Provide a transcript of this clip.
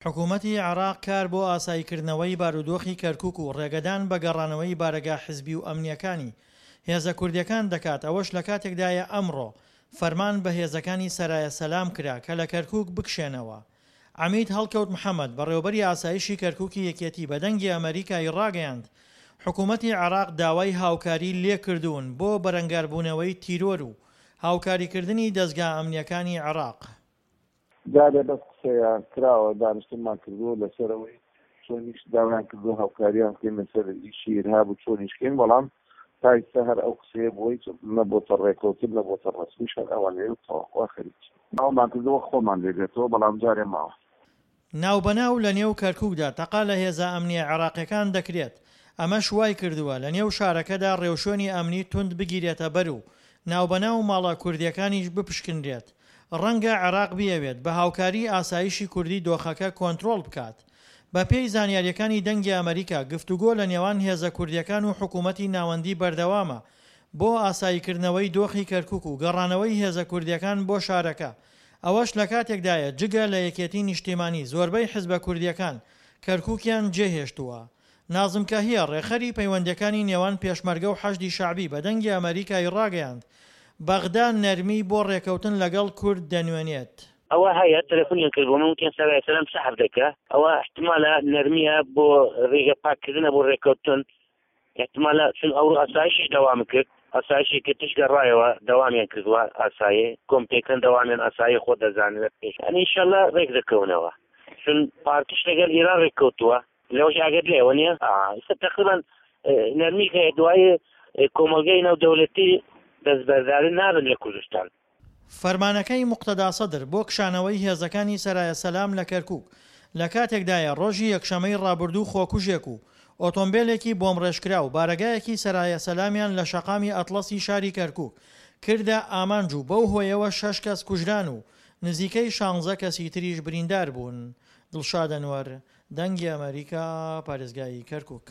حکومەتی عێراق کار بۆ ئاساییکردنەوەی بارودۆخی کەرکوک و ڕێگەدان بە گەڕانەوەی بارەگا حزبی و ئەمنییەکانی هێزە کوردییەکان دەکات، ئەوەش لەکاتێکدایە ئەمڕۆ فەرمان بە هێزەکانی سەرایە سەلام کرا کە لە کەرکوک بکشێنەوە. عەمید هەڵکەوت محەمەد، بەڕێوەبەری ئاسایشی کەرکوکی یەکێتی بە دەنگی ئەمەریکای ڕاگەیاند، حکومەتی عێراق داوای هاوکاری لێکردوون بۆ بەرەنگاربوونەوەی تیرۆر و هاوکاریکردنی دەزگا ئەمنییەکانی عێراق. جارێ بەس قسەیە کراوە دانیشتنمان کردووە لەسەر ئەوەی چۆنیش داوایان کردووە هاوکاریان بکەین لەسەر ئیشی ئیرهاب و چۆنیش کەین بەڵام تا ئیستا هەر ئەو قسەیە بووە هیچ نەبۆتە ڕێکەوتن نەبۆتە ڕەسمیش هەر ئەوان لێ و تەواو وا خەریکین. داوامان کردووە خۆمان لێ بێتەوە بەڵام جارێ ماوە. ناوبەناو لە نێو کەرکوکدا تەقە لە هێزە ئەمنییە عێراقیەکان دەکرێت، ئەمەش وایکردووە لە نێو شارەکەدا ڕێوشوێنی ئەمنی توند بگیرێتە بەر و ناوبەناو ماڵە کوردیەکانیش بپشکنرێت. ڕەنگە عێراق بیەوێت بە هاوکاری ئاسایشی کوردی دۆخەکە کۆنترۆڵ بکات. بە پێی زانیاریەکانی دەنگی ئەمەریکا گفتوگۆ لە نێوان هێزە کوردیەکان و حکومەتی ناوەندی بەردەوامە بۆ ئاساییکردنەوەی دۆخی کەرکوک و گەڕانەوەی هێزە کوردیەکان بۆ شارەکە ئەوەش لەکاتێکدایە جگە لە یەکێتی نیشتیمانی زۆربەی حزبە کوردیەکان کەرکوکیان جێهێشتووە. نازم کەهیە، ڕێکخەری پەیوەندیەکانی نێوان پێشمەرگە و حەشدی شەعبی بە دەنگی ئەمەریکای ڕاگەیاند، بەغدا نەرمی بۆ ڕێکەوتن لەگەڵ کورد دەنوێنێت. ئەوە هەیە تەلەفونیان کرد بۆ من وتیان سەرای سەلام سەحب دەکە ئەوە احتمالە نەرمیە بۆ ڕێگە پاککردنە بۆ ڕێککەوتن احتمالە چون ئەو ئاسایشیش دەوام کرد ئاسایشی کە تش گەڕایەوە دەوامیان کردووە ئاسایی کۆمپێکەن دەوامیان ئاسایی خۆ دەزانن پێش ئەنی ئینشالله ڕێک دەکەونەوە چون پارتیش لەگەڵ ئیران ڕێککەوتووە لەوەش ئاگەر لێوە نییە ئێستا تقریبا نەرمی هەیە دوای کۆمەڵگەی نێودەوڵەتی دەستبەرداری نابن لە کوردستان. فەرمانەکەی موقتەدا سەدر بۆ کشانەوەی هێزەکانی سەرایە سەلام لە کەرکوک لە کاتێکدایە ڕۆژی یەکشەمەی ڕابردوو خۆکوژێک و ئۆتۆمبێلێکی بۆمڕێژکراو بارەگایەکی سەرایە سەلامیان لە شەقامی ئەتڵەسی شاری کەرکوک کردە ئامانج و بەو هۆیەوە شەش کەس کوژران و نزیکەی شانزە کەسی تریش بریندار بوون. دڵشاد ئەنوەر، دەنگی ئەمەریکا، پارێزگای کەرکوک.